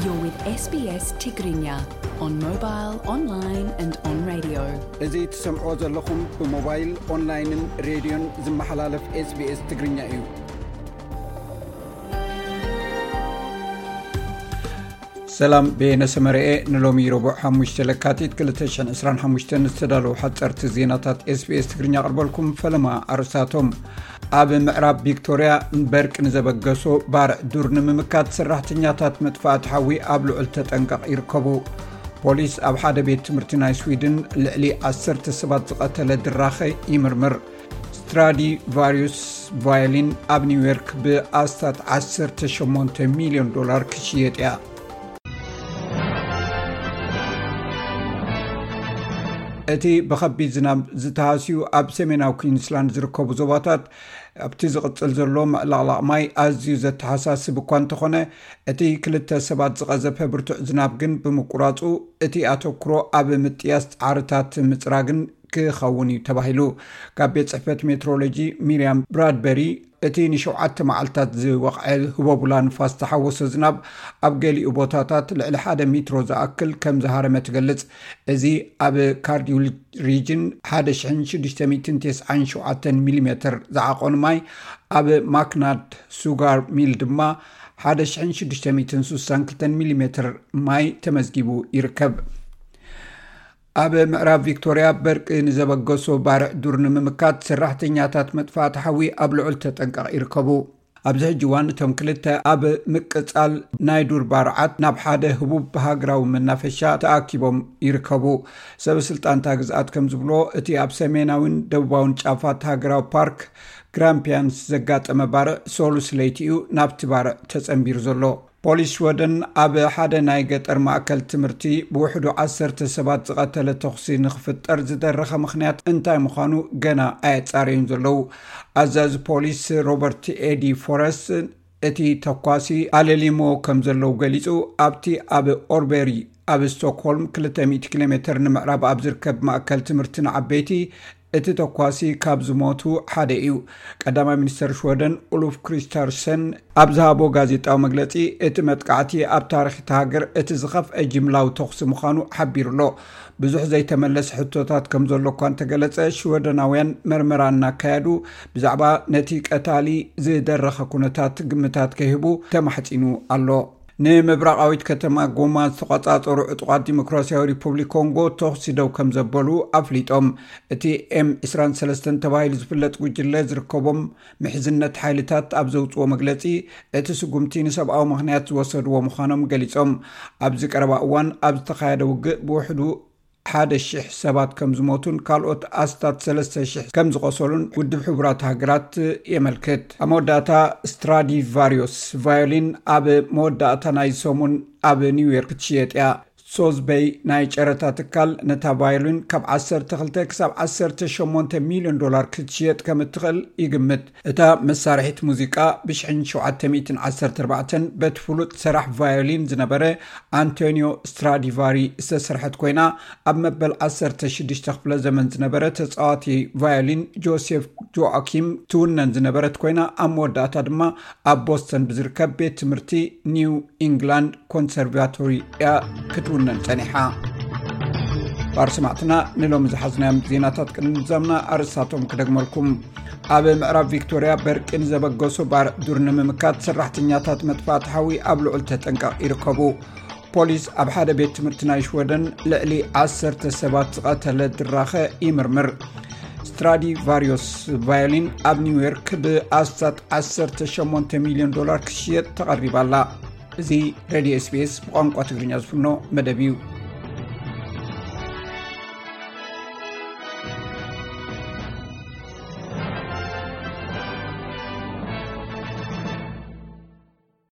You're with S B S Tigrinya on mobile, online and on radio. እዚ ትሰምዕዎ ዘለኹም ብሞባይል፣ ኦንላይንን ሬድዮን ዝመሓላለፍ S B S ትግርኛ እዩ። ሰላም፣ በየነ ሰመረኤ። ንሎሚ ረቡዕ ሓሙሽተ ለካቲት ክልተ ሽሕን ዕስራን ሓሙሽተን ዝተዳለዉ ሓፀርቲ ዜናታት S B S ትግርኛ ኣቕርበልኩም። ፈለማ ኣርእስታቶም። ኣብ ምዕራብ ቪክቶርያ በርቂ ንዘበገሶ ባርዕ ዱር ንምምካት ሰራሕተኛታት መጥፋእቲ ሓዊ ኣብ ልዑል ተጠንቀቕ ይርከቡ። ፖሊስ ኣብ ሓደ ቤት ትምህርቲ ናይ ስዊድን ልዕሊ ዓሰርተ ሰባት ዝቐተለ ድራኸ ይምርምር። ስትራዲቫሪዩስ ቫዮሊን ኣብ ኒውዮርክ ብኣስታት ዓሰርተ ሸሞንተ ሚልዮን ዶላር ክሽየጥ እያ። እቲ ብኸቢድ ዝናብ ዝተሃስዩ ኣብ ሰሜናዊ ኩዊንስላንድ ዝርከቡ ዞባታት ኣብቲ ዝቕጽል ዘሎ ምዕላቕላቕ ማይ ኣዝዩ ዘተሓሳስብ እኳ እንተኾነ፣ እቲ ክልተ ሰባት ዝቐዘፈ ብርቱዕ ዝናብ ግን ብምቁራጹ፣ እቲ ኣተኩሮ ኣብ ምጥያስ ጻዕርታት ምጽራግን ክኸውን እዩ ተባሂሉ። ካብ ቤት ጽሕፈት ሜትሮሎጂ ሚርያም ብራድበሪ፣ እቲ ንሸውዓተ መዓልታት ዝወቕዐ ህቦቡላ ንፋስ ዝተሓወሶ ዝናብ ኣብ ገሊኡ ቦታታት ልዕሊ ሓደ ሜትሮ ዝኣክል ከም ዝሃረመ ትገልጽ። እዚ ኣብ ካርዲውል ሪጅን ሓደ ሽሕን ሽዱሽተ ሚእትን ተስዓን ሸውዓተን ሚሊሜትር ዝዓቖን ማይ፣ ኣብ ማክናድ ሱጋር ሚል ድማ ሓደ ሽሕን ሽዱሽተ ሚእትን ስሳን ክልተን ሚሊሜትር ማይ ተመዝጊቡ ይርከብ። ኣብ ምዕራብ ቪክቶርያ በርቂ ንዘበገሶ ባርዕ ዱር ንምምካት ሰራሕተኛታት መጥፋእቲ ሓዊ ኣብ ልዑል ተጠንቀቕ ይርከቡ። ኣብዚ ሕጂ እዋን እቶም ክልተ ኣብ ምቅጻል ናይ ዱር ባርዓት ናብ ሓደ ህቡብ ሃገራዊ መናፈሻ ተኣኪቦም ይርከቡ። ሰበ ስልጣን እታ ግዝኣት ከም ዝብሎ፣ እቲ ኣብ ሰሜናዊን ደቡባውን ጫፋት ሃገራዊ ፓርክ ግራምፒያንስ ዘጋጠመ ባርዕ ሰሉስ ለይቲ እዩ ናብቲ ባርዕ ተጸንቢሩ ዘሎ። ፖሊስ ሽወደን ኣብ ሓደ ናይ ገጠር ማእከል ትምህርቲ ብውሕዱ ዓሰርተ ሰባት ዝቐተለ ተኹሲ ንኽፍጠር ዝደረኸ ምኽንያት እንታይ ምዃኑ ገና ኣየጻረዩን ዘለዉ። ኣዛዚ ፖሊስ ሮበርት ኤዲ ፎረስ እቲ ተኳሲ ኣለሊሞ ከም ዘለዉ ገሊጹ። ኣብቲ ኣብ ኦርበሪ ኣብ ስቶክሆልም ክልተ ሚእቲ ኪሎ ሜትር ንምዕራብ ኣብ ዝርከብ ማእከል ትምህርቲ ንዓበይቲ እቲ ተኳሲ ካብ ዝሞቱ ሓደ እዩ። ቀዳማይ ሚኒስተር ሽወደን ኡሉፍ ክሪስተርሰን ኣብ ዝሃቦ ጋዜጣዊ መግለጺ፣ እቲ መጥቃዕቲ ኣብ ታሪኽ እታ ሃገር እቲ ዝኸፍአ ጅምላዊ ተኹሲ ምዃኑ ሓቢሩ ኣሎ። ብዙሕ ዘይተመለሰ ሕቶታት ከም ዘሎ እኳ እንተገለጸ፣ ሽወደናውያን መርመራ እናካየዱ ብዛዕባ ነቲ ቀታሊ ዝደረኸ ኩነታት ግምታት ከይህቡ ተማሕጺኑ ኣሎ። ንምብራቓዊት ከተማ ጎማ ዝተቖጻጸሩ ዕጡቓት ዲሞክራሲያዊ ሪፑብሊክ ኮንጎ ተኹሲ ደው ከም ዘበሉ ኣፍሊጦም። እቲ ኤም ዕስራን ሰለስተን ተባሂሉ ዝፍለጥ ጉጅለ ዝርከቦም ምሕዝነት ሓይልታት ኣብ ዘውጽዎ መግለጺ፣ እቲ ስጉምቲ ንሰብኣዊ ምኽንያት ዝወሰድዎ ምዃኖም ገሊጾም። ኣብዚ ቀረባ እዋን ኣብ ዝተኻየደ ውግእ ብውሕዱ ሓደ ሺሕ ሰባት ከም ዝሞቱን ካልኦት ኣስታት ሰለስተ ሺሕ ከም ዝቖሰሉን ውድብ ሕቡራት ሃገራት የመልክት። ኣብ መወዳእታ፣ ስትራዲቫሪዮስ ቫዮሊን ኣብ መወዳእታ ናይ ሰሙን ኣብ ኒውዮርክ ክትሽየጥ እያ። ሶዝበይ ናይ ጨረታ ትካል ነታ ቫዮሊን ካብ ዓሰርተ ክልተ ክሳብ ዓሰርተ ሸሞንተ ሚልዮን ዶላር ክትሽየጥ ከም እትኽእል ይግምት። እታ መሳርሒት ሙዚቃ ብ ሸውዓተ ሚእትን ዓሰርተ ኣርባዕተን በቲ ፍሉጥ ሰራሕ ቫዮሊን ዝነበረ ኣንቶኒዮ ስትራዲቫሪ ዝተሰርሐት ኮይና፣ ኣብ መበል ዓሰርተ ሽዱሽተ ክፍለ ዘመን ዝነበረ ተጻዋቲ ቫዮሊን ጆሴፍ ጆኣኪም ትውነን ዝነበረት ኮይና፣ ኣብ መወዳእታ ድማ ኣብ ቦስተን ብዝርከብ ቤት ትምህርቲ ኒው ኢንግላንድ ኮንሰርቫቶሪ እያ ክትውነን ጸኒሓ። ባር ሰማዕትና፣ ንሎሚ ዝሓዝናዮም ዜናታት ቅድሚ ምዛምና ኣርእስታቶም ክደግመልኩም። ኣብ ምዕራብ ቪክቶርያ በርቂ ንዘበገሱ ባርዕ ዱር ንምምካት ሰራሕተኛታት መጥፋእቲ ሓዊ ኣብ ልዑል ተጠንቀቕ ይርከቡ። ፖሊስ ኣብ ሓደ ቤት ትምህርቲ ናይ ሽወደን ልዕሊ ዓሰርተ ሰባት ዝቐተለ ድራኸ ይምርምር። ስትራዲቫሪዮስ ቫዮሊን ኣብ ኒውዮርክ ብኣስታት ዓሰርተ ሸሞንተ ሚልዮን ዶላር ክሽየጥ ተቐሪባ ኣላ። እዚ ሬድዮ S B S ብቋንቋ ትግርኛ ዝፍኖ መደብ እዩ።